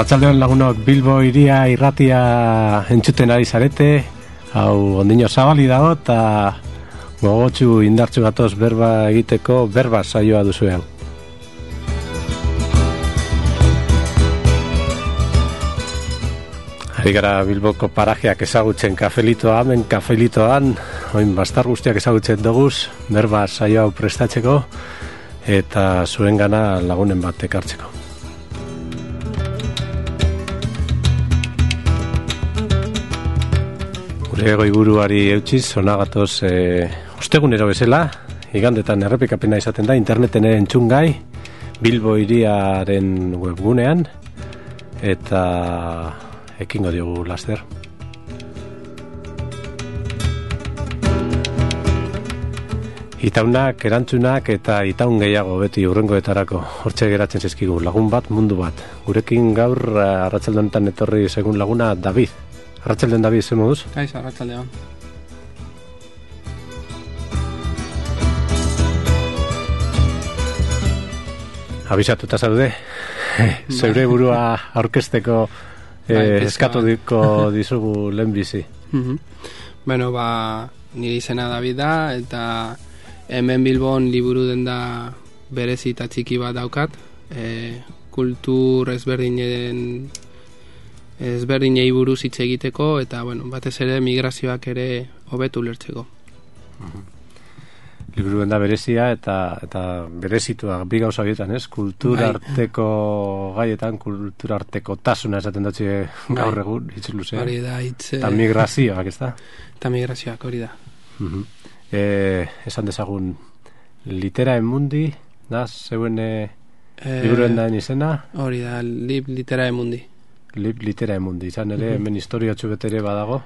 Arratsaldeon lagunok, Bilbo iria irratia entzuten ari zarete, hau ondino zabali dago eta gogotsu indartsu gatoz berba egiteko berba saioa duzu hau. Ari gara Bilboko parajeak ezagutzen kafelitoa, hemen kafelitoan, oin bastar guztiak ezagutzen doguz, berba saio hau prestatzeko eta zuengana lagunen bat ekartzeko. Gure goiburuari eutxiz, onagatoz ostegunero bezala, igandetan errepikapena izaten da, interneten ere entzungai, Bilbo iriaren webgunean, eta ekingo diogu laster. Itaunak, erantzunak eta itaun gehiago beti hurrengoetarako hortxe geratzen zizkigu, lagun bat, mundu bat. Gurekin gaur arratsalde honetan etorri segun laguna David. Arratsaldeon David, ze moduz? Kaixo, arratsaldeon. Abisatuta zaude, zeure burua aurkezteko eskatu dizugu lehenbizi. Bueno, nire izena David da, eta hemen Bilbon liburu denda berezi eta txiki bat daukat, kultur ezberdinei buruz hitz egiteko, eta bueno, batez ere migrazioak ere hobetu ulertzeko. Liburu denda berezia eta berezitua bi gauza bietan, ez? Kulturarteko gaietan, kulturarteko tasuna esaten dutxe gaur egun, hitz luze. Hori da, hitz... Eta migrazioak, ez da? Eta migrazioak, hori da. Esan dezagun, Literae Mundi, da, zeuen liburu dendaen izena? Hori da, Literae Mundi. Literae Mundi, izan ere, hemen historiotxu betere badago?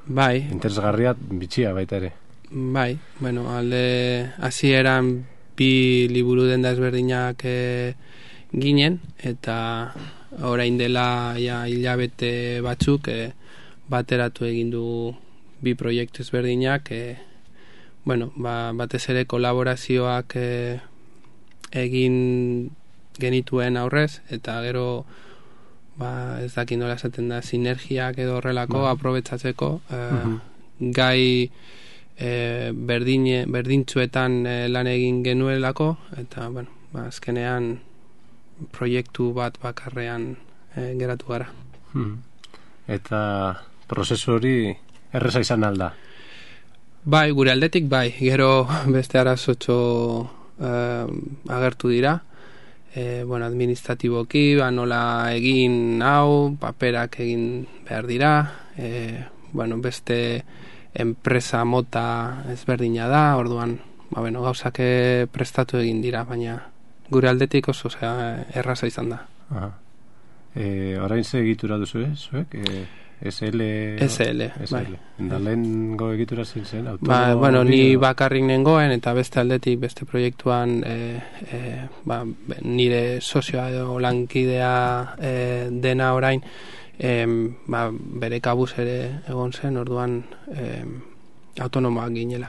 Bai. Interesgarria, bitxia baita ere. Bai, bueno, alde hasieran bi liburu denda ezberdinak ginen, eta orain dela hilabete batzuk bateratu egin du bi proiektu ezberdinak, bueno, batez ere kolaborazioak egin genituen aurrez, eta gero ez dakit nola esaten da, sinergiak edo horrelako aprobetxatzeko gai berdintzuetan lan egin genuelako, eta bueno, azkenean proiektu bat bakarrean geratu gara. Eta prozesu hori erreza izan alda? Bai, gure aldetik bai, gero beste arazotxo agertu dira, bueno, administratiboki, nola egin hau, paperak egin behar dira, bueno, beste enpresa mota ezberdina da, orduan, bueno, gauzak prestatu egin dira, baina gure aldetik oso erraza izan da. Orain ze egitura duzu, zuek? SL, bai. Eta lehengo egitura zen? Bueno, ni bakarrik nengoen, eta beste aldetik, beste proiektuan nire sozioa edo lankidea dena orain, bere kabuz ere egon zen, orduan autonomoak ginen.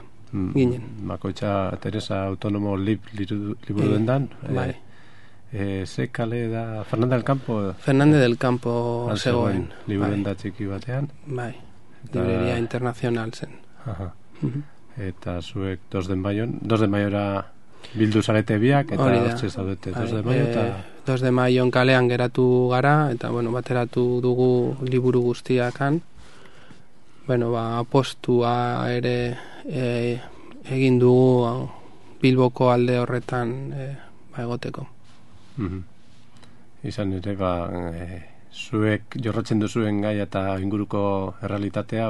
Makoitza Teresa autonomo liburu dendan? Bai. Ze kale da Fernández del Campo? Fernández del Campo zegoen. Liburu da txiki batean? Bai, libreria internacional zen. Eta zuek 2 de Maiora bildu zarete biak, eta hortze zaudete 2 de Maio eta... 2 de Maion kalean geratu gara, eta bueno, bateratu dugu liburu guztiakan. Bueno, apostua ere egin dugu Bilboko alde horretan egoteko. Izan ere, zuek jorratzen duzuen gai eta inguruko errealitatea,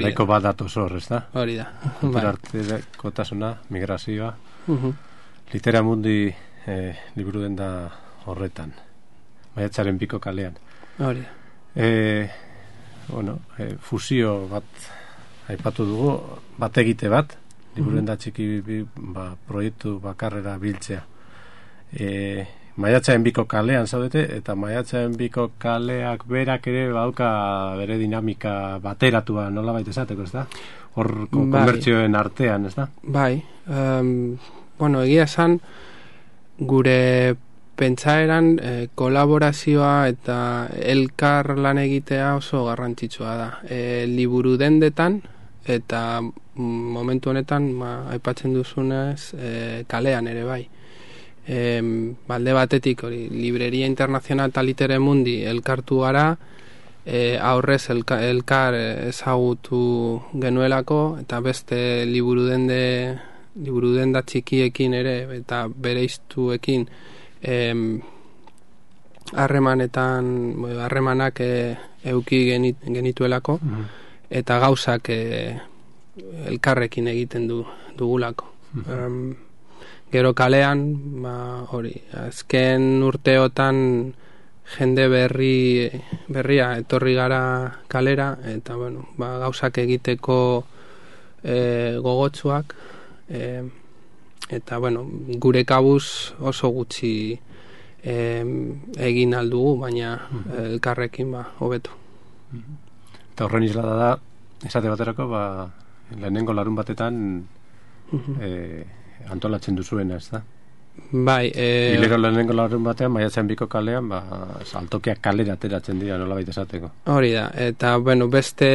daiko bat datoz hor, ez da? Hori da. Kulturarteko tasuna, migrazioa, Literae Mundi liburu denda horretan, Maiatzaren 2 kalean. Hori da. Fusio bat aipatu dugu, bat egite bat, liburu denda txiki proiektu bakarrera biltzea. Maiatzaren 2 kalean zaudete, eta Maiatzaren 2 kaleak berak ere badauka bere dinamika bateratua, nola baita esateko, ez da? Hor konbertsioen artean, ez da? Bai, bueno, egia esan gure pentsaeran kolaborazioa eta elkar lan egitea oso garrantzitsua da. Liburu dendetan eta momentu honetan aipatzen duzunez kalean ere bai. Balde batetik hori Libreria Internacional eta Litere Mundi elkartu gara, aurrez elkar ezagutu genuelako, eta beste liburu denda txikiekin ere eta bereiztuekin harremanak euki genituelako, eta gauzak elkarrekin egiten dugulako. Gero kalean, hori, azken urteotan jende berria etorri gara kalera, eta bueno, gauzak egiteko gogotsuak, eta bueno, gure kabuz oso gutxi egin aldugu, baina elkarrekin hobetu. Eta horren islada da, esate baterako, lehenengo larun batetan antolatzen duzuena, ez da? Bai, hilero lehenengo larun batean, maiatzen 2 kalean, saltokiak kalera ateratzen dira, nola baita esateko. Hori da, eta bueno, beste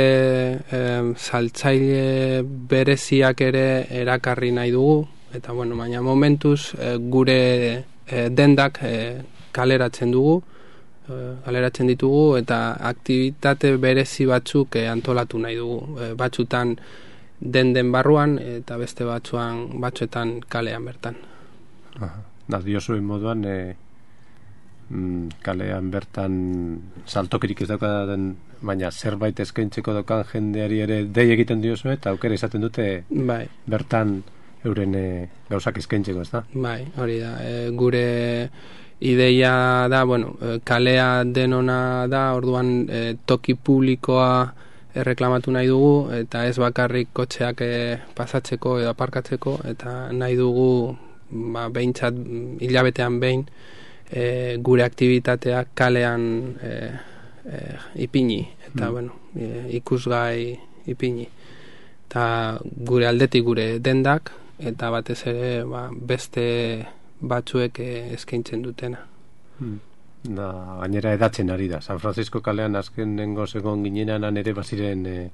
saltzaile bereziak ere erakarri nahi dugu, eta bueno, baina momentuz gure dendak kaleratzen ditugu, eta aktibitate berezi batzuk antolatu nahi dugu, batzutan den barruan, eta beste batzuetan kalean bertan. Diozuen moduan kalean bertan saltokirik ez daukaten, baina zerbait eskaintzeko daukan jendeari ere dei egiten diozu, eta aukera izaten dute bertan euren gauzak eskaintzeko, ez da? Bai, hori da. Gure ideia da, bueno, kalea denona da, orduan toki publikoa erreklamatu nahi dugu, eta ez bakarrik kotxeak pasatzeko edo aparkatzeko, eta nahi dugu behintzat hilabetean behin gure aktibitateak kalean ipini, eta bueno, ikusgai ipini. Eta gure aldetik gure dendak, eta batez ere beste batzuek eskaintzen dutena. Gainera edatzen ari da. San Francisco kalean azken nengo segon ginenan ere baziren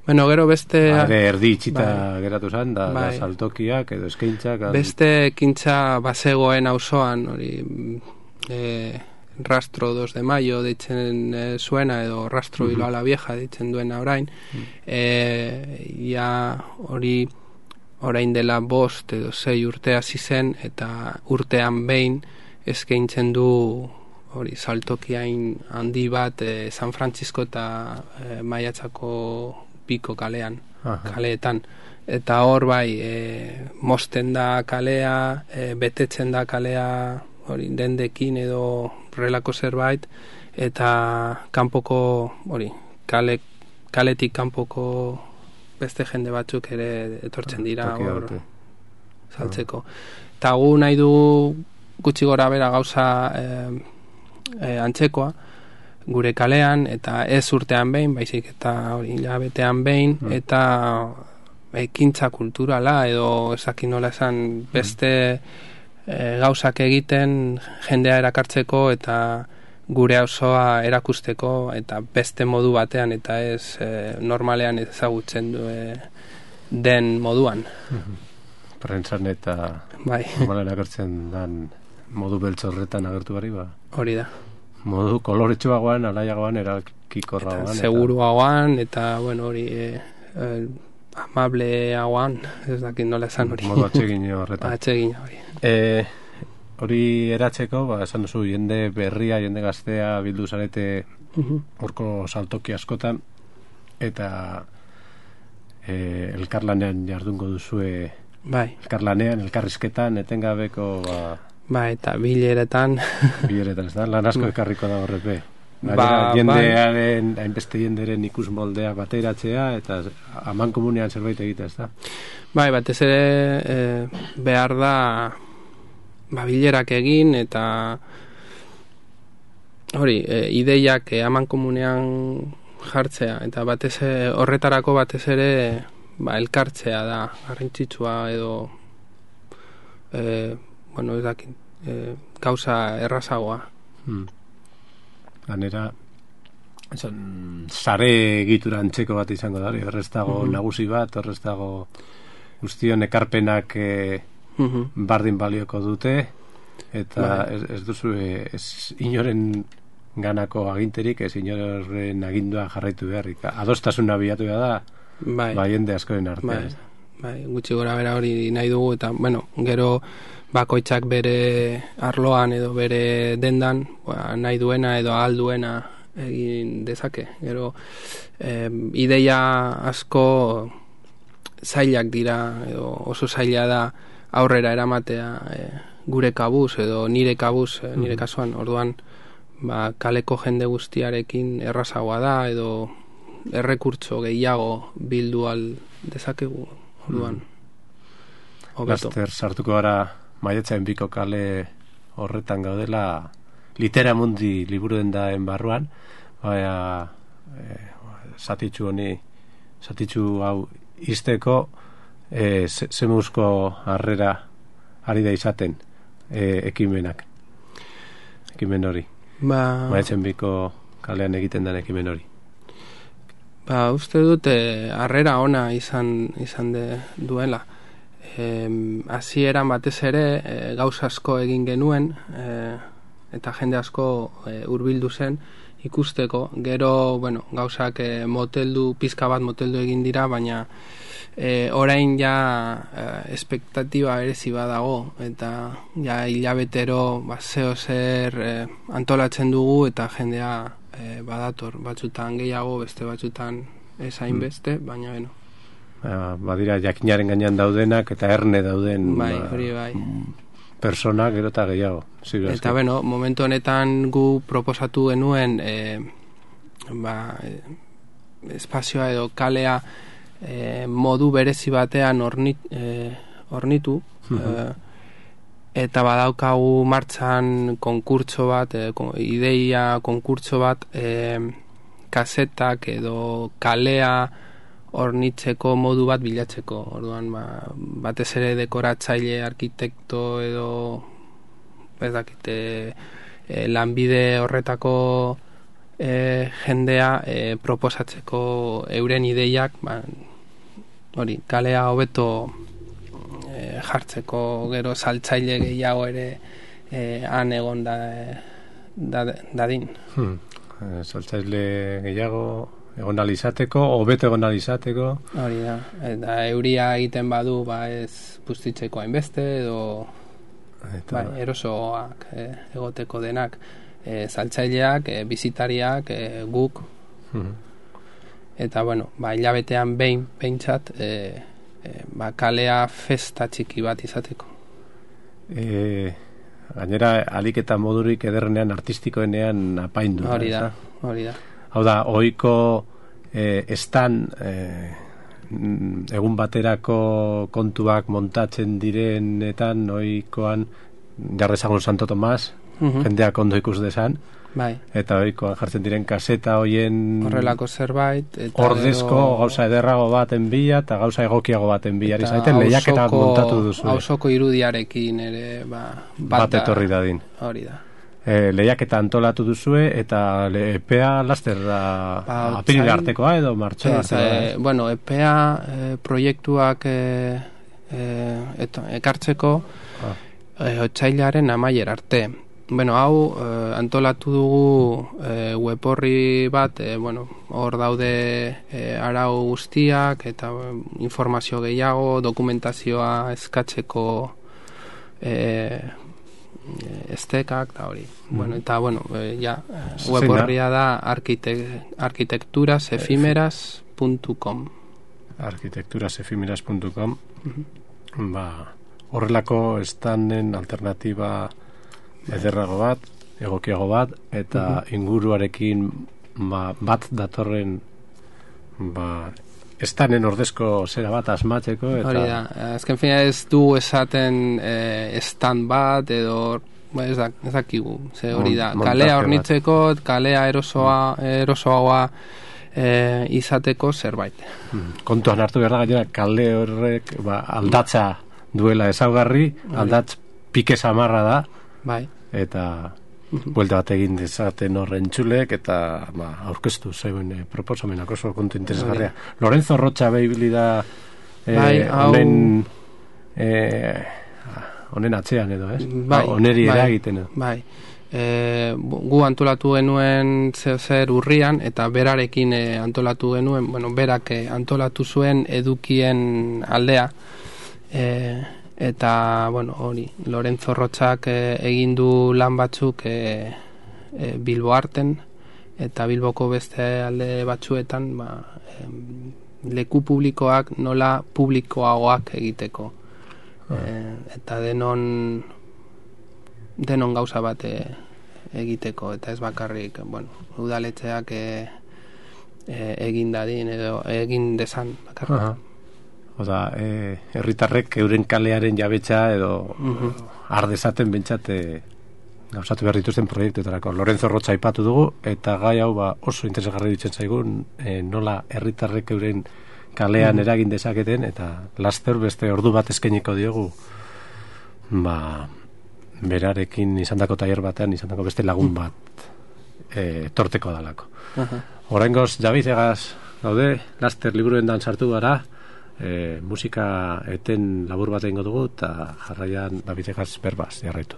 bueno, gero beste erdi itxita geratu zen, da saltokiak edo eskaintzak. Beste ekintza bazegoen auzoan, hori Rastro 2 de Mayo deitzen zuena, edo Rastro Bilbao la Vieja deitzen duena orain. Hori orain dela 5 edo 6 urte hasi zen, eta urtean behin eskaintzen du hori saltokiain handi bat San Francisco eta Maiatzako Piko kalean, kaleetan. Eta hor mosten da kalea, betetzen da kalea hori dendekin edo relako zerbait, eta kanpoko hori kaletik kanpoko beste jende batzuk ere etortzen dira hor saltzeko. Eta gu nahi dugu gutxi gora bera gauza antzekoa gure kalean, eta ez urtean behin, baizik eta hori hilabetean behin, eta ekintza kulturala edo ezakin nola esan beste gauzak egiten jendea erakartzeko eta gure auzoa erakusteko, eta beste modu batean, eta ez normalean ezagutzen den moduan. Prentzan eta normalean agertzen den modu beltzorretan agertu bari Hori da. Modu koloretsua alaiagoan, erakikorragoan. Seguruagoan, eta bueno, hori amableagoan, ez dakit nola esan hori. Modu atsegin horretan. Atsegin hori. Hori eratzeko, esan duzu, jende berria, jende gaztea bildu zarete horko saltoki askotan, eta elkarlanean jardungo duzue, elkarlanean, elkarrizketan, etengabeko eta bileretan. Bileretan, ez da? Lan asko ekarriko da horrepe. Jendearen, hainbeste jenderen ikus moldea bateratzea, eta aman komunean zerbait egitea, ez da? Batez ere behar da bilerak egin, eta hori, ideiak aman komunean jartzea, eta horretarako batez ere elkartzea da garrantzitsua, edo bueno, ez dakit, gauza errazagoa. Ganera, sare egitura antzeko bat izango da, horrez dago nagusi bat, horrez dago guztion ekarpenak bardin balioko dute, eta ez duzu inoren ganako aginterik, ez inoren agindua jarraitu beharrik. Adostasuna bilatu da, jende askoren artean. Gutxi gora bera hori nahi dugu, eta, gero bakoitzak bere arloan edo bere dendan nahi duena edo ahal duena egin dezake. Gero, ideia asko zailak dira, edo oso zaila da aurrera eramatea gure kabuz edo nire kabuz, nire kasuan, orduan, kaleko jende guztiarekin errazagoa da, edo errekurtso gehiago bildu al dezakegu, orduan. Laster sartuko gara Maiatzaren 2 kale horretan gaudela, Litera Mundi liburu dendaen barruan, zatitzu hau izteko zemuzko harrera ari da izaten ekimen hori. Maiatzen 2 kalean egiten den ekimen hori. Uste dut harrera ona izan duela. Hasieran batez ere gauza asko egin genuen, eta jende asko hurbildu zen ikusteko. Gero, gauzak pizka bat moteldu egin dira, baina orain ja espektatiba berezi badago, eta ja hilabetero zeo zer antolatzen dugu, eta jendea badator, batzutan gehiago, beste batzutan ez hainbeste, baina badira jakinaren gainean daudenak eta erne dauden hori bai. Persona gero eta gehiago. Eta momentu honetan gu proposatu genuen espazioa edo kalea modu berezi batean hornitu, eta badaukagu martxan konkurtso bat, ideia konkurtso bat, kasetak edo kalea hornitzeko modu bat bilatzeko. Orduan, batez ere dekoratzaile, arkitekto edo ez dakite lanbide horretako jendea proposatzeko euren ideiak, hori, kalea hobeto jartzeko, gero saltzaile gehiago ere han egon dadin. Saltzaile gehiago egon alizateko, hobeto egon alizateko. Hori da, eta euria egiten badu ez bustitzeko hainbeste, edo erosoak egoteko denak, saltzaileak, bizitariak, guk, eta hilabetean behintzat kalea festa txiki bat izateko. Gainera, alik eta modurik ederrenean artistikoenean apaindu. Hori da. Hau da, ohiko estan egun baterako kontuak montatzen direnetan, ohikoan jarrezagun Santo Tomas, jendeak ondo ikus desan, eta ohikoan jartzen diren kaseta hoien horrelako zerbait, ordezko gauza ederrago baten bila eta gauza egokiago baten bila izaten lehiaketak montatu duzu. Hausoko irudiarekin ere bat etorri dadin. Hori da. Lehiaketa antolatu duzue eta epea laster apirila artekoa edo martxoa artekoa. Epea proiektuak ekartzeko otsailaren amaiera arte. Hau antolatu dugu web horri bat, hor daude arau guztiak eta informazio gehiago, dokumentazioa eskatzeko estekak eta hori. Web horria da arquitecturasefímeras.com. arquitecturasefímeras.com. Horrelako estanen alternatiba ederrago bat, egokiago bat, eta inguruarekin bat datorren estanen ordezko zera bat asmatzeko. Hori da, azken fina ez du esaten estan bat edo ez dakigu, hori da, kalea hornitzeko, kalea erosoagoa izateko zerbait. Kontuan hartu behar da gainera, kale horrek aldatza duela ezaugarri, aldatz pike samarra da, eta buelta bat egin dezaten horren txulek, eta aurkeztu zeuen proposamenak oso kontu interesgarria. Lorenzo Rocha behibili da honen atzean edo, ez? Honeri eragiten. Bai. Gu antolatu genuen zer urrian, eta berarekin antolatu genuen, berak antolatu zuen edukien aldea, eta, hori, Lorenzo Rochak egin du lan batzuk Bilbo Arten, eta Bilboko beste alde batzuetan, leku publikoak nola publikoagoak egiteko. Eta denon gauza bat egiteko, eta ez bakarrik, udaletxeak egin dadin, edo egin desan bakarrik. Oda, herritarrek euren kalearen jabetza edo ardezaten bentsate gauzatu behar dituzten proiektuetarako. Lorenzo Rocha aipatu dugu, eta gai hau oso interesgarri ditzen zaigun, nola herritarrek euren kalean eragin dezaketen, eta laster beste ordu bat eskainiko diogu berarekin izandako tailer batean izandako beste lagun bat torteko dalako. Oraingoz Davidegaz gaude, laster liburuendan sartu gara, musika eten labur bat egingo dugu, eta jarraian Davidegaz berbaz jarraitu.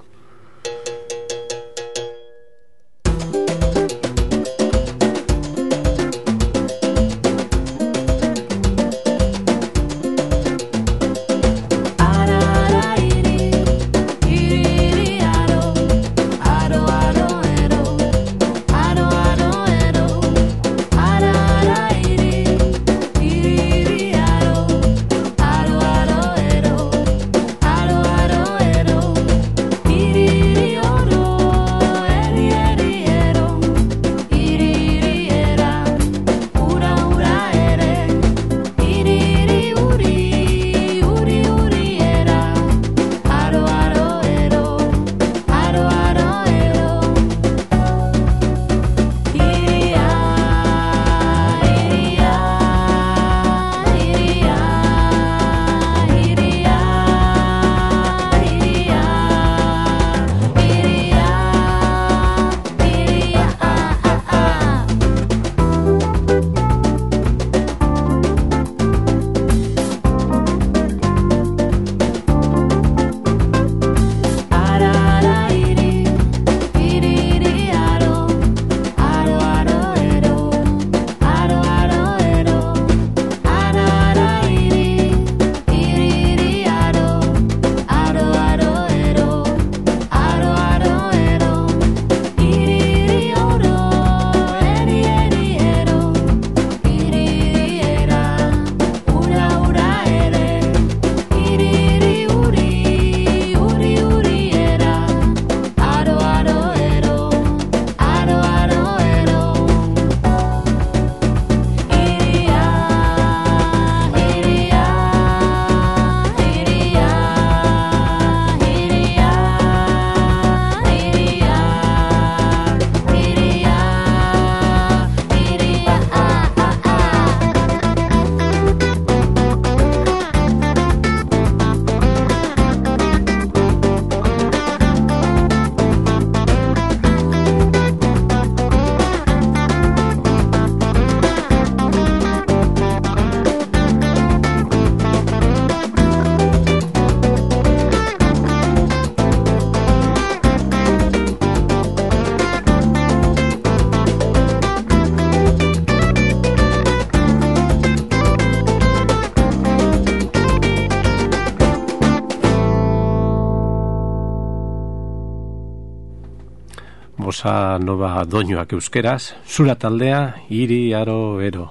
bossa nova doinuak euskeraz, zura taldea, hiri aro ero.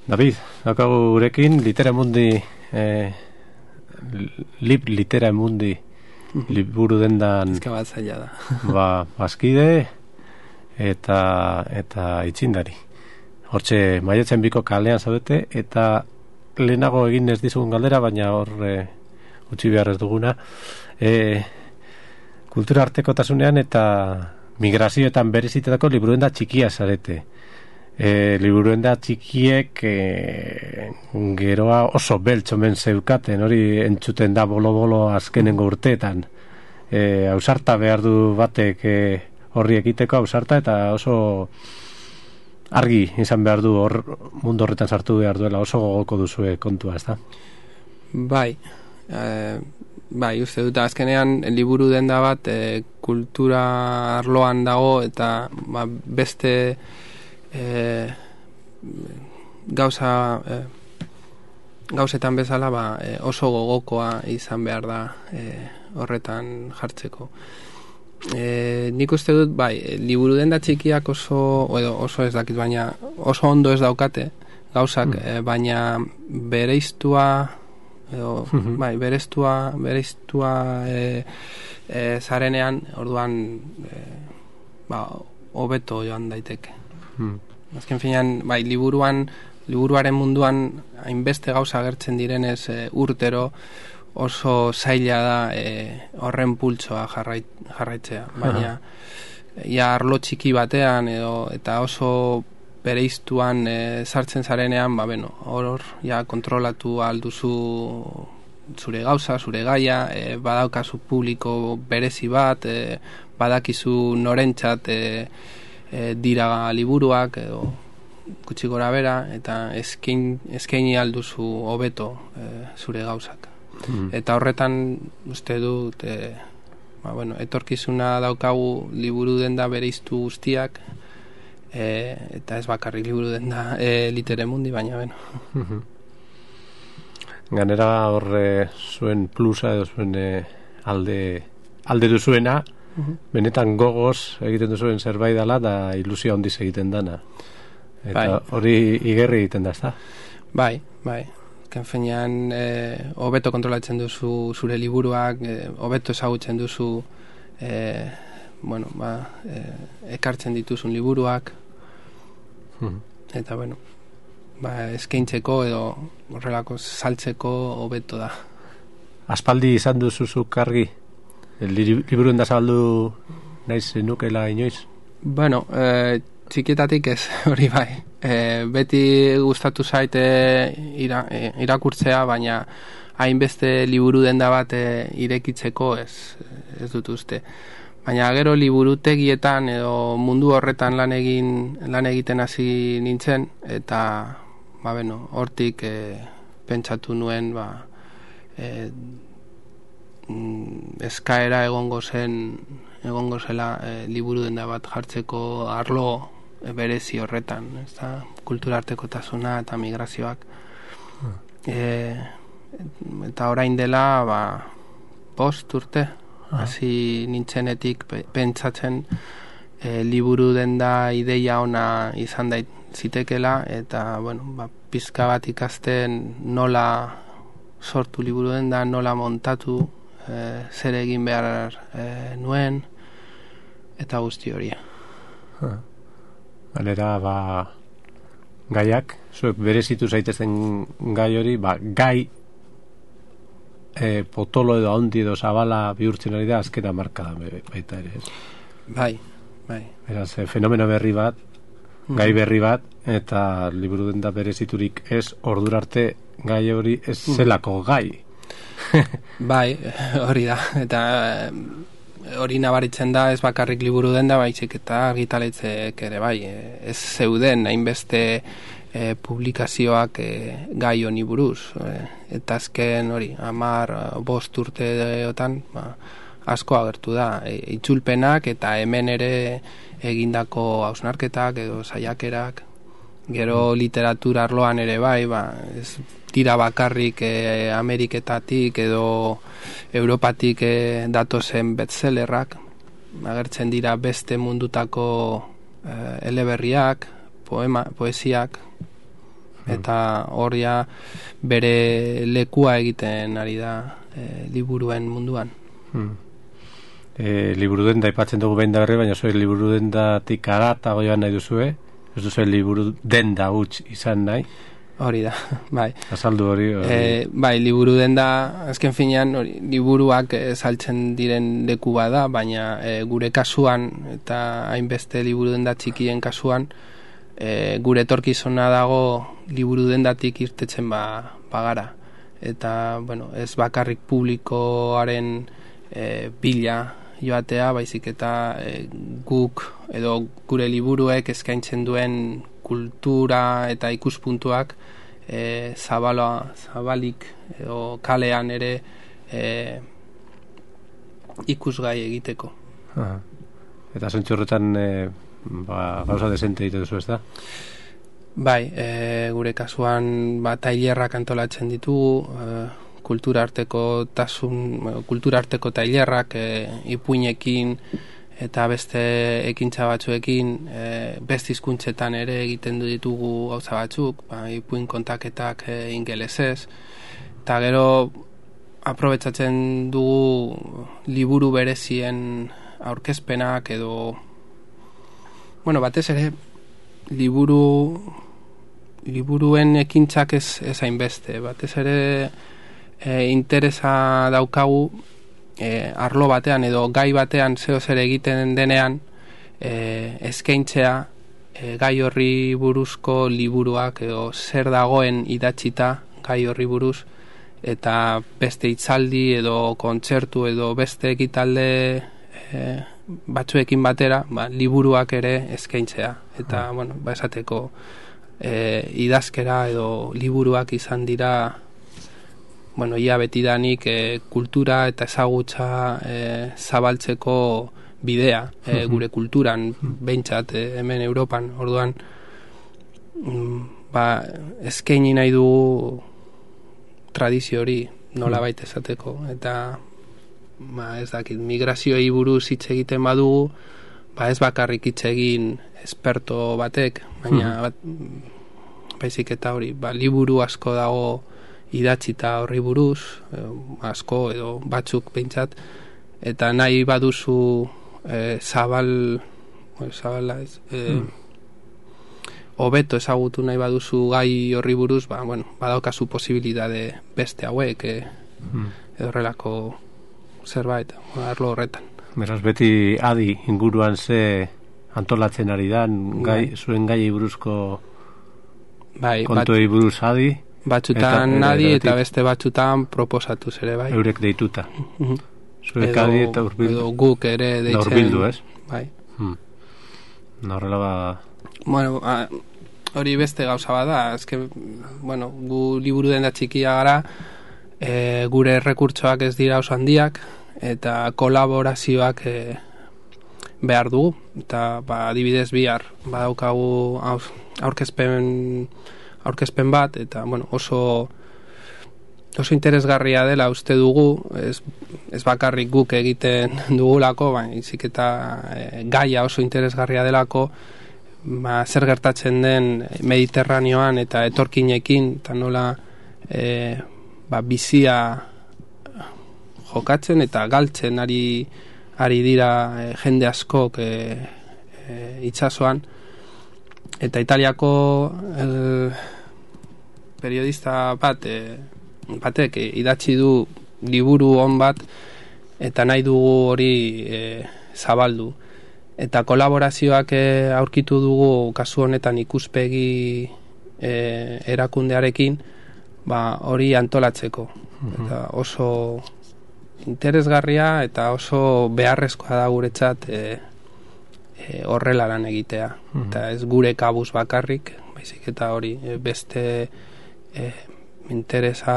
David, daukagu gurekin, Literamundi, Literamundi, liburu dendan... Ezka bat zaila da. Bazkide eta itxindari. Hortxe, maiatzen biko kalean zaudete, eta lehenago egin ez dizugun galdera, baina hor utzi behar ez duguna. Kultura artekotasunean eta migrazioetan berezitetako liburuenda txikia zarete. Liburuenda txikiek geroa oso beltz omen zeukaten, hori entzuten da bolo-bolo azkenengo urteetan. ausarta behar du batek horri ekiteko, ausarta, eta oso argi izan behar du mundu horretan sartu behar duela, oso gogoko duzue kontua, ez da? Bai, uste dut, azkenean liburu denda bat kultura arloan dago, eta beste gauzetan bezala oso gogokoa izan behar da horretan jartzeko. Nik uste dut, liburu denda txikiak oso ez dakit, baina oso ondo ez daukate gauzak, baina bereiztua bereiztua zarenean, orduan hobeto joan daiteke. Azken finean, liburuaren munduan hainbeste gauza agertzen direnez urtero oso zaila da horren pultsoa jarraitzea, baina arlo txiki batean eta oso bereiztuan sartzen zarenean, hor kontrolatu alduzu zure gauza, zure gaia, badaukazu publiko berezi bat, badakizu norentzat dira liburuak edo gutxi gora bera, eta eskaini alduzu hobeto zure gauzak. Eta horretan uste dut etorkizuna daukagu liburu denda bereiztu guztiak, eta ez bakarrik liburu denda Literamundi, baina Ganera horre zuen plusa edo zuen alde duzuena, benetan gogoz egiten duzuen zerbait dela da ilusia hondiz egiten dana. Eta hori igerri egiten da, ez da? Bai. Kenfenean hobeto kontrolatzen duzu zure liburuak, hobeto ezagutzen duzu ekartzen dituzun liburuak, eta eskaintzeko edo horrelako saltzeko hobeto da. Aspaldi izan duzuzuk argi? Liburuen da zabaldu naiz nukela inoiz? Txikietatik ez, hori bai. Beti gustatu zaite irakurtzea, baina hainbeste liburu denda bat irekitzeko ez dut uste. Baina gero liburutegietan edo mundu horretan lan egiten hasi nintzen, eta hortik pentsatu nuen eskaera egongo zela liburu denda bat jartzeko arlo berezi horretan, kulturartekotasuna eta migrazioak. Eta orain dela 5 urte hasi nintzenetik pentsatzen liburu denda ideia ona izan zitekela, eta pizka bat ikasten nola sortu liburu denda, nola montatu, zer egin behar nuen, eta guzti hori. Galera, gaiak, zuek berezitu zaitezen gai hori, gai potolo edo handi edo zabala bihurtzen ari da, azkena marka da baita ere. Bai. Beraz, fenomeno berri bat, gai berri bat, eta liburu denda bereziturik ez, ordurarte gai hori ez zelako gai. Bai, hori da, eta hori nabaritzen da, ez bakarrik liburu denda, baizik eta argitaletzek ere bai, ez zeuden hainbeste publikazioak gai honi buruz, eta azken hori 10-5 urteotan asko agertu da, itzulpenak eta hemen ere egindako hausnarketak edo saiakerak, gero literatura arloan ere bai, ez dira bakarrik Ameriketatik edo Europatik datozen bestsellerrak, agertzen dira beste mundutako eleberriak, poesiak, eta horia bere lekua egiten ari da liburuen munduan. Liburu denda aipatzen dugu behin da berri, baina zuen liburu dendatik aratago joan nahi duzue, ez duzuen liburu denda huts izan nahi? Hori da, bai. Azaldu hori. Bai, liburu denda, azken finean, liburuak saltzen diren leku bada, baina gure kasuan, eta hainbeste liburu denda txikien kasuan, gure etorkizuna dago liburu dendatik irtetzen bagara. Eta, ez bakarrik publikoaren bila joatea, baizik eta guk edo gure liburuek eskaintzen duen kultura eta ikuspuntuak zabalik edo kalean ere ikusgai egiteko. Aha. Eta zentzu horretan gauza desente egiten duzu, ez da? Bai, gure kasuan tailerrak antolatzen ditugu, kulturarteko tailerrak ipuinekin eta beste ekintza batzuekin, beste hizkuntzetan ere egiten ditugu gauza batzuk, ipuin kontaketak ingelesez, eta gero aprobetxatzen dugu liburu berezien aurkezpenak edo, batez ere liburuen ekintzak ez hainbeste, batez ere interesa daukagu arlo batean edo gai batean zeo zer egiten denean eskaintzea gai horri buruzko liburuak edo zer dagoen idatzita gai horri buruz, eta beste hitzaldi edo kontzertu edo beste ekitalde batzuekin batera liburuak ere eskaintzea, eta esateko idazkera edo liburuak izan dira ia betidanik kultura eta ezagutza zabaltzeko bidea gure kulturan, behintzat hemen Europan. Orduan eskaini nahi dugu tradizio hori nolabait esateko, eta ez dakit, migrazioi buruz hitz egiten badugu, ez bakarrik hitz egin esperto batek, baina baizik eta hori, liburu asko dago idatzita horri buruz, asko edo batzuk behintzat, eta nahi baduzu hobeto ezagutu nahi baduzu gai horri buruz, badaukazu posibilitate beste hauek edo horrelako zerbait, arlo horretan. Beraz, beti adi inguruan ze antolatzen ari dan, zuen gai buruzko kontuei buruz adi, batzutan adi eta beste batzutan proposatu ere bai. Eurek deituta. Zuek adi eta urbildu. Edo guk ere deitzen. Urbildu, ez? Bai. Horrela hori beste gauza bada, gu liburu denda txikia gara, gure errekurtsoak ez dira oso handiak, eta kolaborazioak behar dugu, eta adibidez bihar badaukagu aurkezpen bat, eta oso interesgarria dela uste dugu, ez bakarrik guk egiten dugulako, baizik eta gaia oso interesgarria delako, zer gertatzen den Mediterraneoan eta etorkinekin, eta nola bizia jokatzen eta galtzen ari dira jende askok itsasoan, eta Italiako periodista batek idatzi du liburu on bat, eta nahi dugu hori zabaldu, eta kolaborazioak aurkitu dugu kasu honetan ikuspegi erakundearekin hori antolatzeko, eta oso interesgarria eta oso beharrezkoa da guretzat horrela lan egitea, eta ez gure kabuz bakarrik, baizik eta hori beste interesa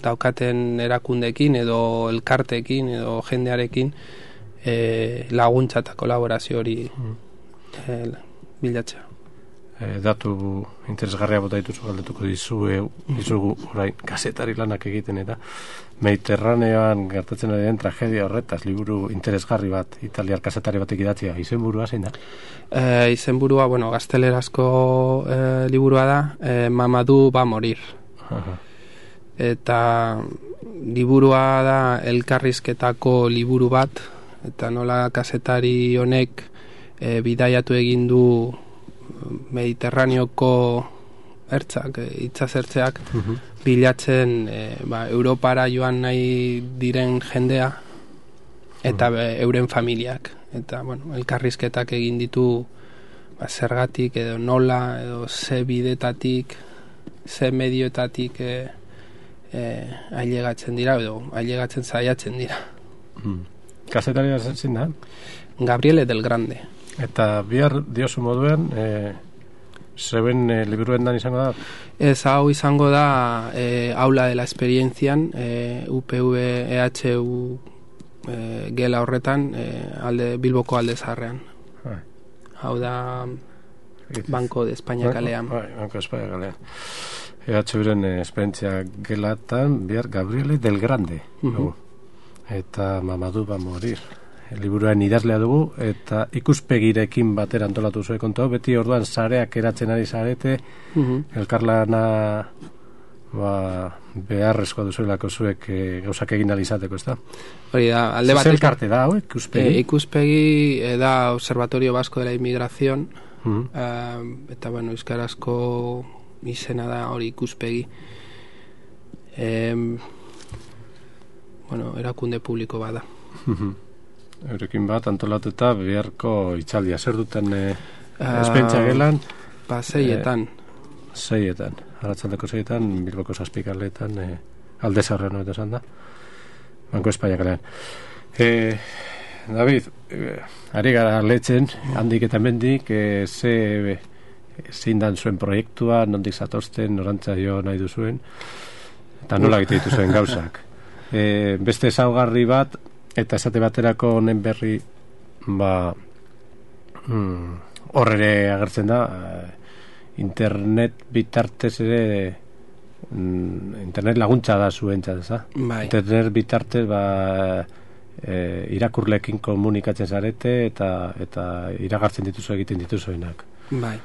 daukaten erakundeekin edo elkarteekin edo jendearekin laguntza eta kolaborazio hori bilatzea. Datu interesgarria bota dituzu galdetuko dizugu orain kazetari lanak egiten, eta Mediterraneoan gertatzen ari den tragedia horretaz liburu interesgarri bat italiar kazetari batek idatzia, izenburua zein da? Izenburua, gaztelerazko liburua da, Mamadou va morir. Eta liburua da elkarrizketako liburu bat, eta nola kazetari honek bidaiatu egin du Mediterraneoko ertzak, itsas-ertzeak bilatzen Europara joan nahi diren jendea eta euren familiak, eta elkarrizketak egin ditu zergatik edo nola edo ze bidetatik, ze medioetatik ailegatzen dira, edo ailegatzen saiatzen dira. Kazetaria zen da? Gabriele del Grande. Eta bihar diozu moduen, zeben liburuen dan izango da? Ez, hau izango da aula de la esperientzian, UPV EHU gela horretan, Bilboko alde zaharrean. Hau da Banco de España kalean. Banco de España kalean. EHUren esperientzia gelatan, bihar Gabriele del Grande. Eta Mamadou va morir. Liburuaren idazlea dugu, eta ikuspegirekin batera antolatu zuen kontu, beti orduan sareak eratzen ari zarete, elkarlana beharrezkoa duzuelako zuek gauzak egin alizateko, ez da? Hori da, alde batek... Zelkarte da, ikuspegi? Ikuspegi da Observatorio Vasco de la Inmigración, eta, bueno, euskarazko izena da hori ikuspegi. Bueno, erakunde publiko bada. Eurekin bat antolatuta biharko itzaldia. Zer duten espentsa gelan? Seietan. Seietan. Arratzaldeko seietan, Bilboko zazpikaletan, alde zarrean hori esan da. Banko España kalean. David, ari gara letzen, handik eta mendik, zein dan zuen proiektua, nondik zatozten, norantza jo nahi duzuen, eta nola egite dituzuen gauzak. Beste ezaugarri bat, eta esate baterako honen berri horre agertzen da, internet bitartez ere internet laguntza da zuentzat, ez da? Bai. Internet bitartez irakurlekin komunikatzen zarete eta iragartzen dituzu egiten dituzuenak. Bai.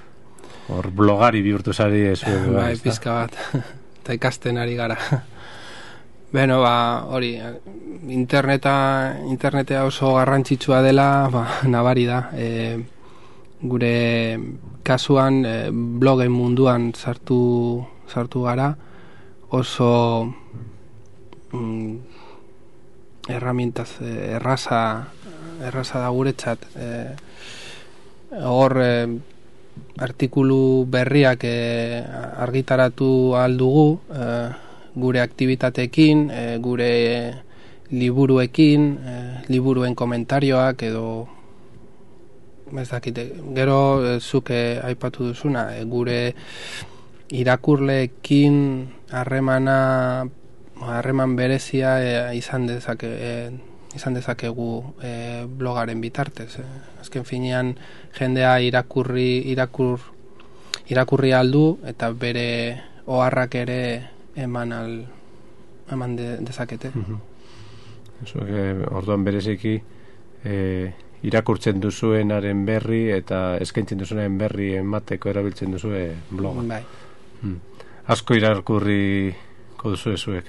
Hor blogari bihurtu zari zuen. Bai, pizka bat. Eta ikasten ari gara. Beno, hori, internetea oso garrantzitsua dela, nabari da. Gure kasuan blogen munduan sartu gara, oso herramientaz erraza da guretzat. Hor artikulu berriak argitaratu aldugu, gure aktibitateekin, gure liburuekin, liburuen komentarioak edo ez dakite, gero zuke aipatu duzuna, gure irakurleekin harreman berezia izan dezakegu blogaren bitartez. Azken finean jendea irakurri aldu eta bere oharrak ere eman dezakete. Orduan bereziki irakurtzen duzuenaren berri eta eskaintzen duzuenaren berri emateko erabiltzen duzue bloga. Bai. Asko irakurriko duzu zuek.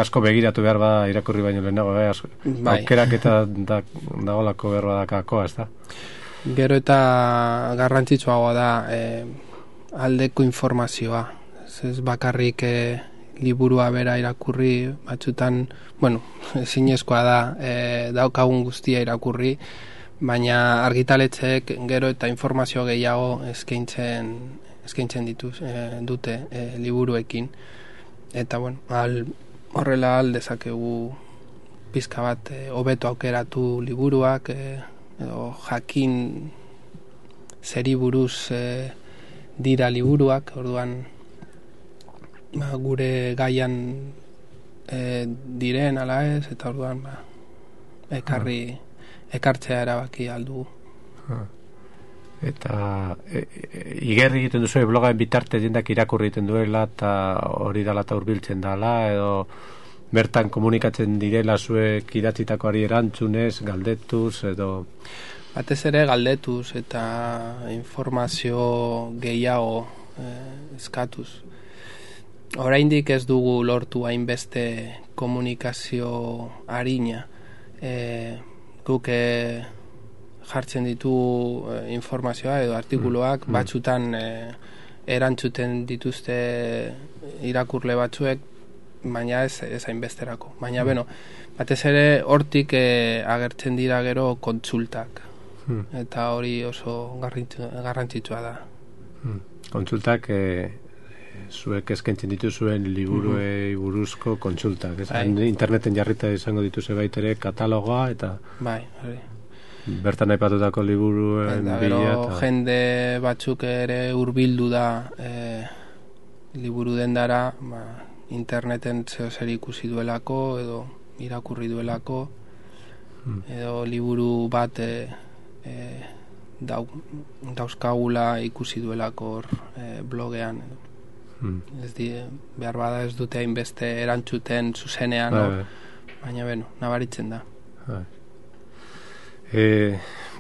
Asko begiratu behar bada irakurri baino lehenago, bai. Aukerak eta dagolako behar badakakoa, ez da? Gero eta garrantzitsuagoa da aldeko informazioa. Ez bakarrik liburua bera irakurri, batzutan, bueno, zinezkoa da daukagun guztia irakurri, baina argitaletxeek gero eta informazio gehiago eskaintzen dute liburuekin. Eta, bueno, horrela aldezakegu pizka bat hobeto aukeratu liburuak, edo jakin zeri buruz dira liburuak, orduan gure gaian diren ala ez, eta orduan ekartzea erabaki aldu. Eta igerri egiten duzu blogaen bitarte jendak irakurri egiten duela eta hori dala eta hurbiltzen dala, edo bertan komunikatzen direla zuek idatzitakoari erantzunez, galdetuz, edo... Batez ere galdetuz eta informazio gehiago eskatuz. Oraindik ez dugu lortu hainbeste komunikazio arina. Guk jartzen ditu informazioa edo artikuluak, batzutan erantzuten dituzte irakurle batzuek, baina ez hainbesterako. Baina, batez ere hortik agertzen dira gero kontsultak. Eta hori oso garrantzitsua da. Kontsultak zuek eskaintzen dituzuen liburuei buruzko kontsultak, ez? Interneten jarrita izango dituzue baitere katalogoa eta bai, hori. Bertan aipatutako liburuen bila eta jende batzuk ere hurbildu da liburu dendara, interneten zer ikusi duelako edo irakurri duelako edo liburu bat dauzkagula ikusi duelako blogean ez behar bada ez dute hainbeste erantzuten zuzenean baina nabaritzen da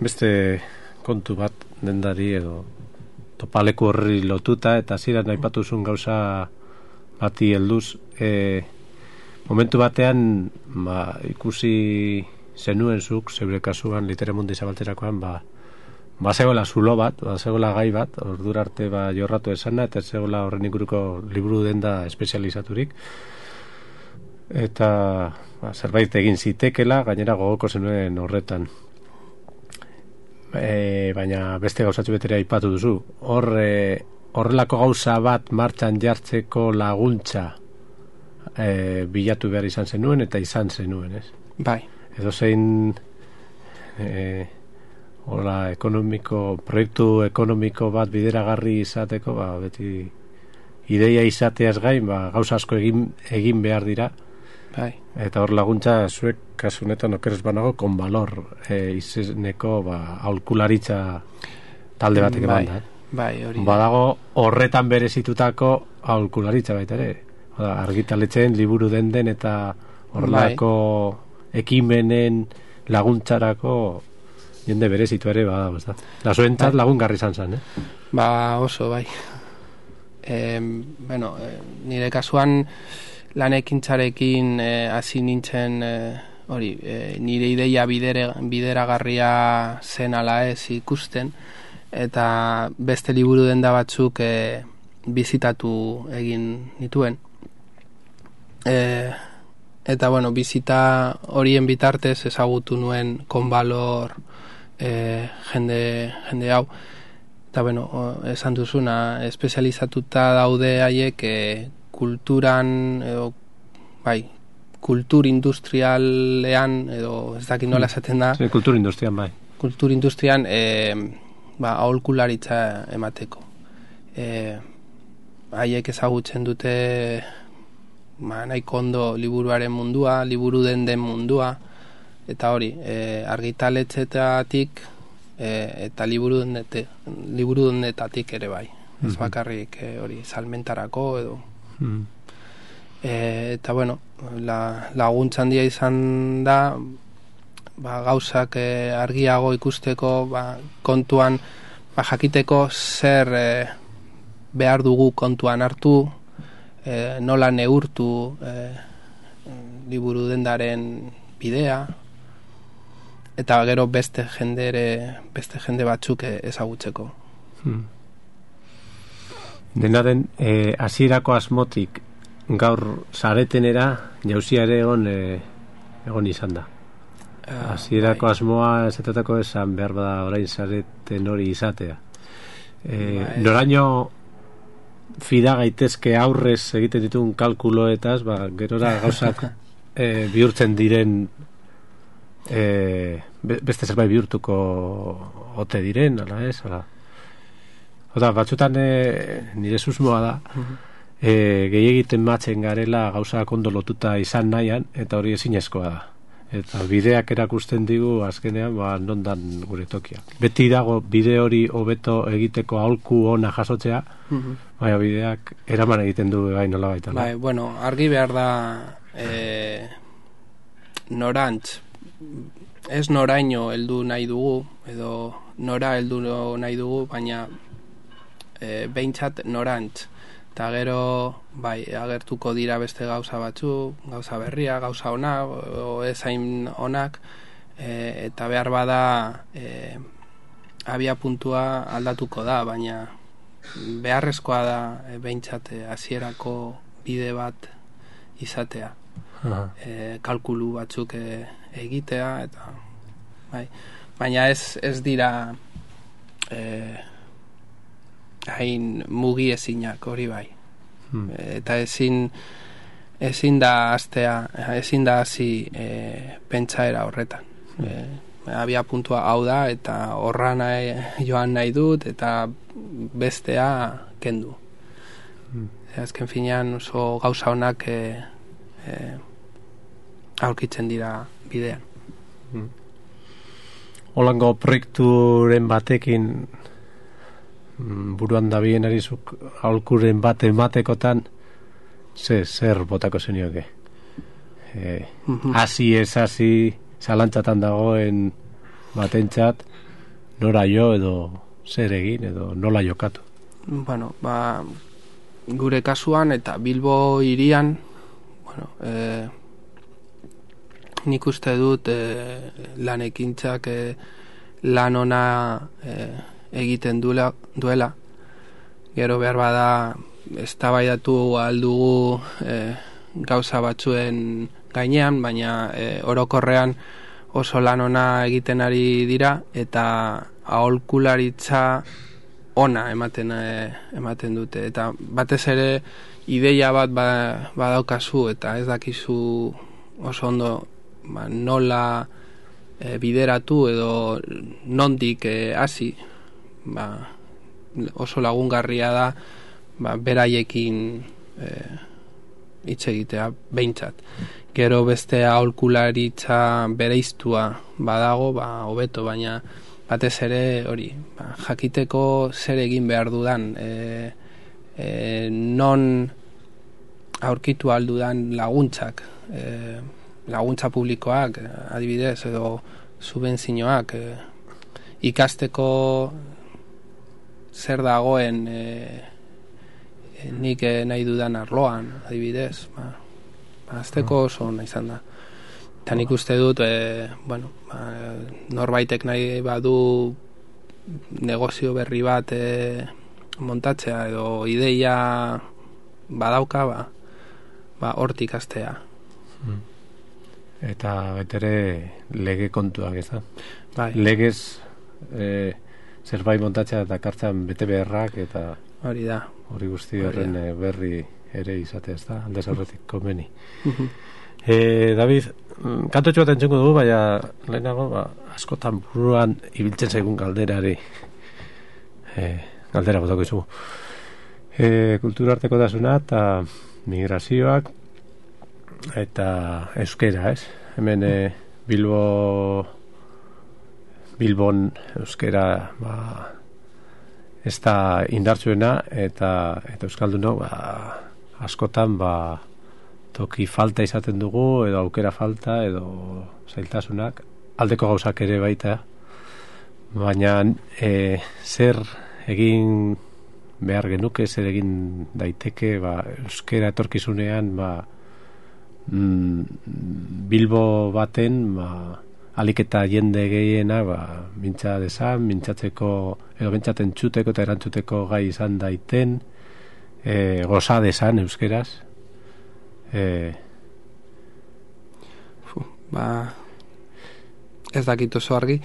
beste kontu bat dendari edo topaleku horri lotuta eta ziren aipatuzun gauza bati helduz momentu batean ikusi zenuen zuk zeure kasuan Literamundi zabaltzerakoan zegoela zulo bat, zegoela gai bat, ordura arte jorratu esana eta zegoela horren inguruko liburu denda espezializaturik eta zerbait egin zitekela, gainera gogoko zenuen horretan baina beste gauzatxo betera aipatu duzu horrelako gauza bat martxan jartzeko laguntza bilatu behar izan zenuen eta izan zenuen, ez? Bai. Edo zein proiektu ekonomiko bat bideragarri izateko, beti ideia izateaz gain, gauza asko egin behar dira. Bai. Eta hor laguntza zuek kasunetan okeres banago konbalor izeneko aholkularitza talde batek eman da. Bai, hori. Badago horretan berezitutako aholkularitza baita ere. Argitaletzen liburu den eta horrelako ekimenen laguntzarako jende berezitu ere badago, ez da. Da zuentzat lagungarri izan zen, oso, bai. Nire kasuan lanekintzarekin hasi nintzen nire ideia bideragarria zen ala ez ikusten eta beste liburu denda batzuk bizitatu egin nituen. Eta bizita horien bitartez ezagutu nuen konbalor jende hau eta esan duzuna espezializatuta daude haiek kulturan edo kultur industrialean edo ez dakit nola esaten da kultur industrian kultur industrian aholkularitza emateko haiek ezagutzen dute nahiko ondo liburuaren mundua, liburu den mundua eta hori, argitaletxetatik eta liburu dendetatik ere bai ez bakarrik hori salmentarako edo eta laguntza handia izan da gauzak argiago ikusteko kontuan jakiteko zer behar dugu kontuan hartu nola neurtu liburu dendaren bidea eta gero beste jende batzuk ezagutzeko dena den hasierako asmotik gaur saretenera jauzia ere egon izan da hasierako asmoa esatetako esan behar bada orain sareten hori izatea noraino fida gaitezke aurrez egiten dituen kalkuloetaz gerora gauzak bihurtzen diren beste zerbait bihurtuko ote diren ala ez batzutan nire susmoa da gehiagiten matzen garela gauzak ondo lotuta izan nahian eta hori ezinezkoa da eta bideak erakusten digu azkenean nondan gure tokia beti dago bide hori hobeto egiteko aholku ona jasotzea baina bideak eraman egiten du nola baita argi behar da norantz ez noraino heldu nahi dugu edo nora heldu nahi dugu baina behintzat norantz eta gero agertuko dira beste gauza batzu, gauza berria, gauza onak o ezain onak eta behar bada abia puntua aldatuko da, baina beharrezkoa da behintzat hasierako bide bat izatea kalkulu batzuk egitea eta baina ez dira hain mugi ezinak hori bai Eta ezin da hasi pentsaera horretan. Abia puntua hau da, eta horra joan nahi dut, eta bestea kendu. Azken finean oso gauza honak aurkitzen dira bidean. Holango proiekturen batekin buruan dabien arizuk aholkuren bat ematekotan zer botako zenioke? Hasi ez hasi zalantzatan dagoen batentzat nora jo edo zer egin edo nola jokatu? Bueno, gure kasuan eta Bilbo hirian, nik uste dut lan ekintzak lan ona egiten duela. Gero behar bada eztabaidatu aldugu gauza batzuen gainean, baina orokorrean oso lan ona egiten ari dira, eta aholkularitza ona ematen dute, eta batez ere ideia bat badaukazu eta ez dakizu oso ondo nola bideratu edo nondik hasi, oso lagungarria da beraiekin hitz egitea behintzat. Gero beste aholkularitza bereiztua badago, hobeto, baina batez ere hori, jakiteko zer egin behar dudan, non aurkitu aldudan laguntzak, laguntza publikoak, adibidez, edo subentzioak, ikasteko zer dagoen nik nahi dudan arloan, adibidez, azteko oso nahi izan da. Eta nik uste dut, norbaitek nahi badu negozio berri bat montatzea edo ideia badauka, hortik astea. Eta betere lege kontuak, ez da? Bai. Legez zerbait montatzea eta kartzen bete beharrak eta hori da. Hori guzti horren berri ere izatea, ez da? Aldez horretik komeni. David, kantotxo bat entzengo dugu, baina lehenago askotan buruan ibiltzen zaigun galderari galdera botako izugu. Kulturarteko dasuna eta migrazioak eta euskera, ez? Hemen Bilbon euskera ez da indartsuena eta euskaldunok askotan toki falta izaten dugu edo aukera falta edo zailtasunak, aldeko gauzak ere baita, baina zer egin behar genuke, zer egin daiteke euskera etorkizunean Bilbo baten alik eta jende gehiena mintza dezan, mintzatzeko edo mintzaten txuteko eta erantzuteko gai izan daiten, goza dezan euskeraz. Ez dakit oso argi,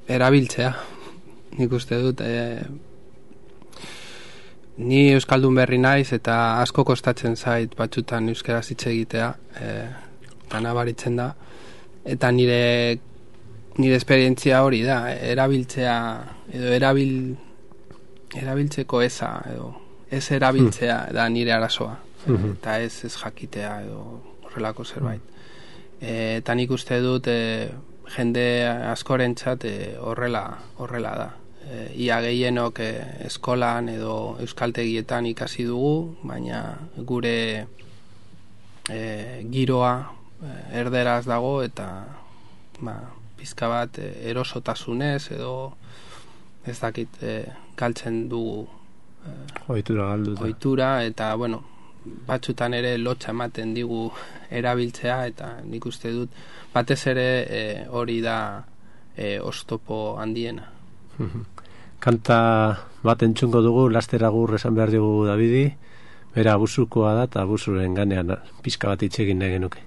erabiltzea, nik uste dut, ni euskaldun berri naiz eta asko kostatzen zait batzutan euskaraz hitz egitea, eta nabaritzen da, eta nire esperientzia hori da, erabiltzea edo erabiltzeko eza edo ez erabiltzea da nire arazoa, eta ez jakitea edo horrelako zerbait. Eta nik uste dut jende askorentzat horrela da. Ia gehienok eskolan edo euskaltegietan ikasi dugu, baina gure giroa erderaz dago eta pizka bat erosotasunez edo ez dakit galtzen dugu ohitura eta batzutan ere lotxa ematen digu erabiltzea, eta nik uste dut batez ere hori da oztopo handiena. Kanta bat entzungo dugu, laster agur esan behar dugu Davidi, bera abusukoa da eta abusuren ganean pizka bat hitz egin nahi genuke.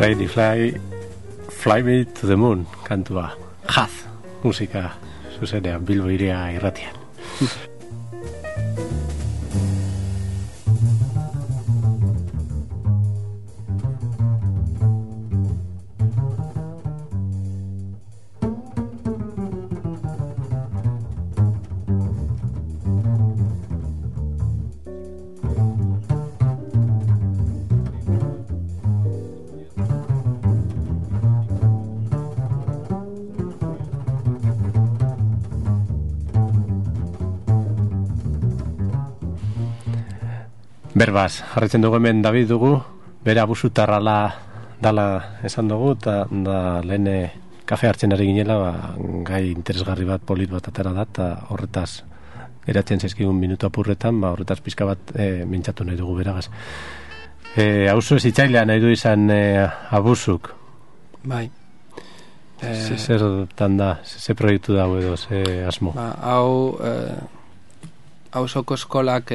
Fly Me to the Moon kantua. Jaz, musika zuzenean Bilbo Hiria irratian. Berbaz, jarretzen dugu hemen David dugu, bere abusutarra dala esan dugu, eta da lehen kafe hartzen ari ginela, gai interesgarri bat, polit bat atera da, eta horretaz geratzen zaizkigun minutu apurretan, horretaz pizka bat mintzatu nahi dugu beragaz. Auzo ez itxailea nahi du izan abusuk. Bai. Zertan da, ze proiektu da edo, ze asmo? Hau auzoko eskolak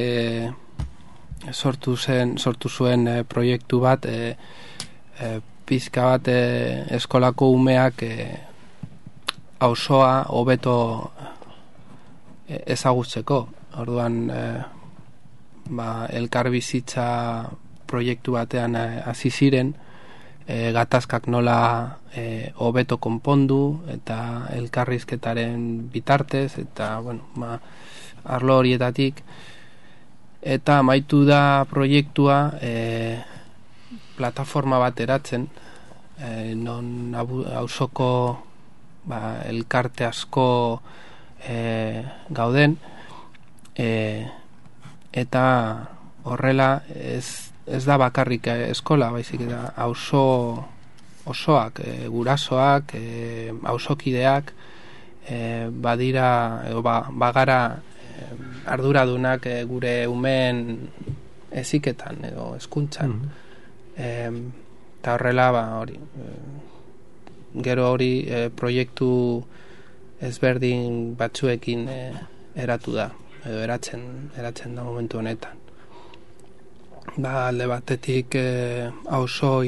sortu zuen proiektu bat, pizka bat eskolako umeak auzoa hobeto ezagutzeko. Orduan elkarbizitza proiektu batean hasi ziren, gatazkak nola hobeto konpondu eta elkarrizketaren bitartez eta arlo horietatik. Eta amaitu da proiektua plataforma bat eratzen, non auzoko elkarte asko gauden, eta horrela ez da bakarrik eskola, baizik eta auzo osoak, gurasoak, auzokideak badira edo bagara arduradunak gure umeen heziketan edo hezkuntzan. Eta horrela hori gero hori proiektu ezberdin batzuekin eratu da edo eratzen da momentu honetan. Alde batetik auzo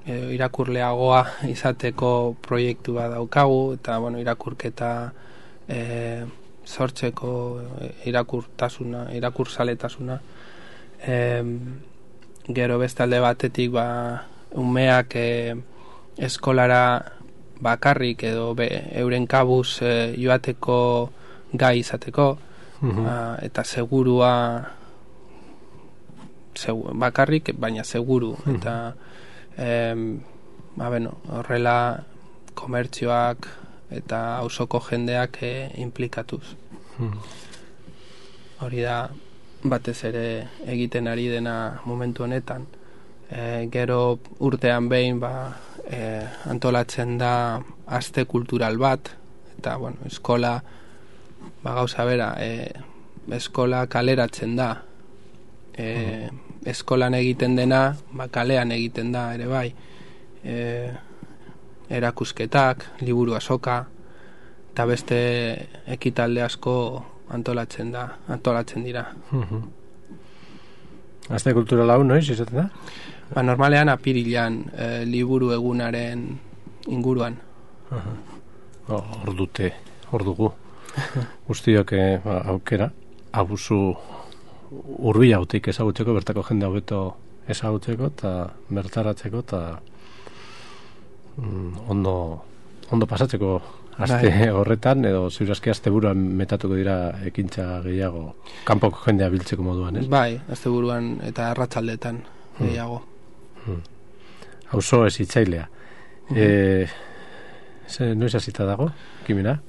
irakurleagoa izateko proiektu bat daukagu, eta irakurketa sortzeko irakurzaletasuna. Gero beste alde batetik umeak eskolara bakarrik edo euren kabuz joateko gai izateko, eta segurua bakarrik, baina seguru, eta horrela komertzioak eta auzoko jendeak implikatuz. Hori da batez ere egiten ari dena momentu honetan. Gero urtean behin antolatzen da aste kultural bat, eta eskola gauza bera, eskola kaleratzen da. Eskolan egiten dena, kalean egiten da ere bai. Erakusketak, liburu azoka, eta beste ekitalde asko antolatzen dira. Aste kulturala hau noiz izaten da? Normalean apirilean, liburu egunaren inguruan. Hor dugu. Guztiok aukera, abusu hurbilautik ezagutzeko, bertako jende hobeto ezagutzeko eta bertaratzeko eta ondo pasatzeko aste horretan, edo ziurazki asteburuan metatuko dira ekintza gehiago kanpoko jendea biltzeko moduan, ez? Bai, asteburuan eta arratsaldetan gehiago. Auzo ez hitzailea. Noiz hasita dago, Kimena?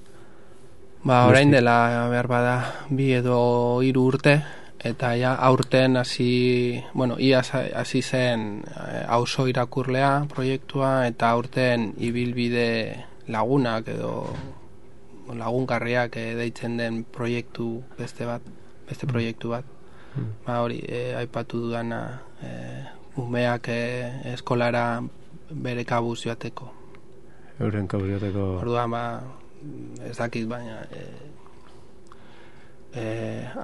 Orain dela behar bada 2 edo 3 urte, eta aurten hasi zen auzo irakurlea proiektua, eta aurten ibilbide lagunak edo lagungarriak deitzen den beste proiektu bat. Hori, aipatu dudana, umeak eskolara bere kabuz joateko. Euren kabuz joateko. Orduan, ez dakit, baina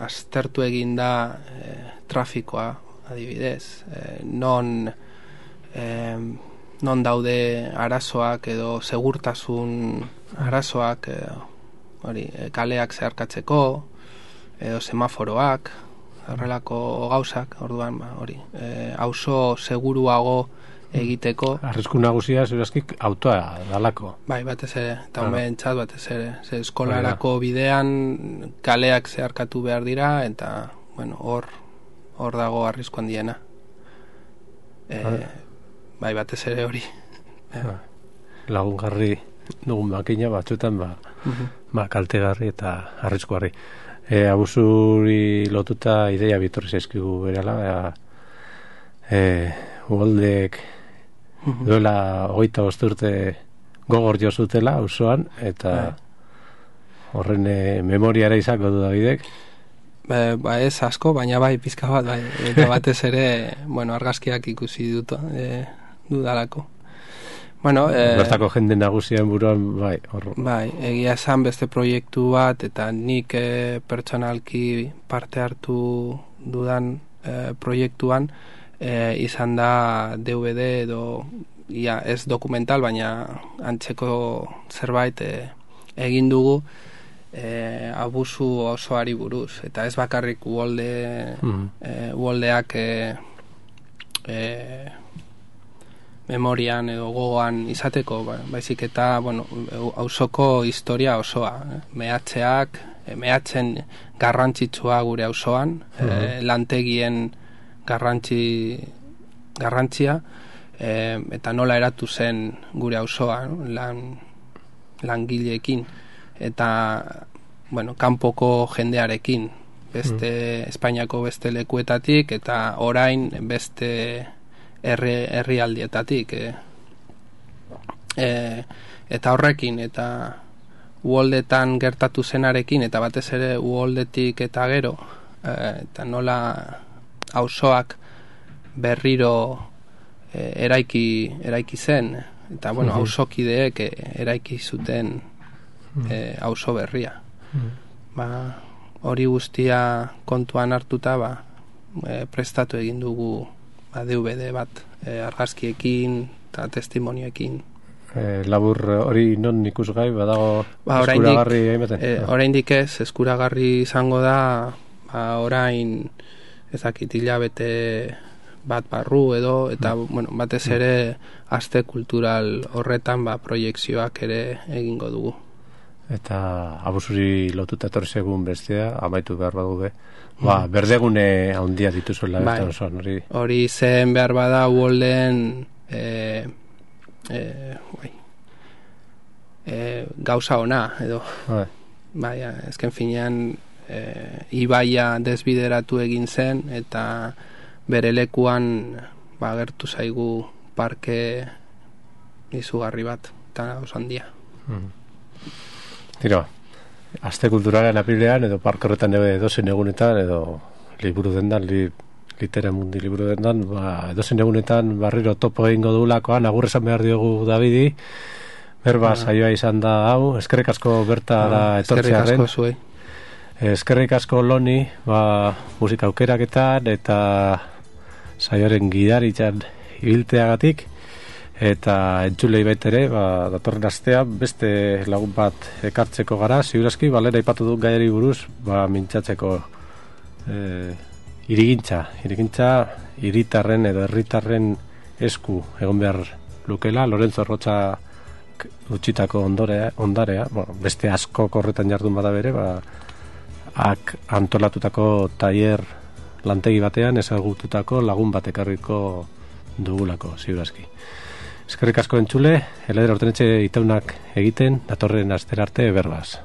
aztertu egin da trafikoa adibidez, non daude arazoak edo segurtasun arazoak, kaleak zeharkatzeko, edo semaforoak, horrelako gauzak, orduan, auzo seguruago egiteko. Arrisku nagusia, ziurazkik, autoa dalako. Bai, batez ere, eta homeentzat batez ere. Eskolarako bidean kaleak zeharkatu behar dira, eta, bueno, hor dago arrisku handiena. Bai, batez ere hori. Lagungarri dugun makina batzuetan, kaltegarri eta arriskuarri. Abusuri lotuta ideia bitorri zaizkigu berala, ugoldek duela 25 urte gogor jo zutela auzoan, eta horren memoriara izango du Davidek. Ez asko, baina bai pizka bat, bai, eta batez ere, argazkiak ikusi dudalako. Bertako jende nagusien buruan, bai, hor. Bai, egia esan beste proiektu bat, eta nik pertsonalki parte hartu dudan proiektuan, izan da DVD edo, ez dokumental, baina antzeko zerbait egin dugu abusu osoari buruz. Eta ez bakarrik uholdeak memorian edo gogoan izateko, baizik eta auzoko historia osoa, mehatzen garrantzitsua gure auzoan, lantegien garrantzia, eta nola eratu zen gure auzoa, langileekin, eta kanpoko jendearekin, Espainiako beste lekuetatik, eta orain beste herrialdietatik, eta horrekin, eta uholdetan gertatu zenarekin, eta batez ere uholdetik eta gero, eta nola auzoak berriro eraiki zen, eta auzokideek eraiki zuten auzo berria. Hori guztia kontuan hartuta, prestatu egin dugu DVD bat, argazkiekin eta testimonioekin. Labur hori non ikusgai, badago eskuragarri egin? Oraindik ez, eskuragarri izango da, orain ezakit hilabete bat barru edo, eta batez ere aste kultural horretan proiekzioak ere egingo dugu. Eta abusuri lotuta etorri segun bestea, amaitu behar badugu berdegune handia dituzuela hori zen behar bada uholden gauza ona edo ezken finean ibaia desbideratu egin zen, eta bere lekuan gertu zaigu parke izugarri bat, eta oso handia. Tira, aste kulturaren apilean edo parke horretan edozen egunetan edo liburu dendan, litera mundi liburu dendan, edozen egunetan barriro topo egingo dugulakoan, agur esan behar diogu Davidi, berba saioa izan da hau, eskerrik asko bertara etortzearen. Eskerrik asko zuei. Eskerrik asko Loni, musika aukeraketan eta saioaren gidaritzan ibilteagatik. Eta entzulei baitere, datorren astean beste lagun bat ekartzeko gara, ziurazki, lehen aipatu dut gaiari buruz, mintzatzeko irigintza, hiritarren edo herritarren esku egon behar lukela, Lorenzo Rocha utxitako ondarea, beste asko korretan jardun bada bere, antolatutako tailer lantegi batean ezagututako lagun bat ekarriko dugulako, ziurazki. Eskerrik asko entzule, Eleder Ortenetxe itaunak egiten, datorren astera arte berbaz.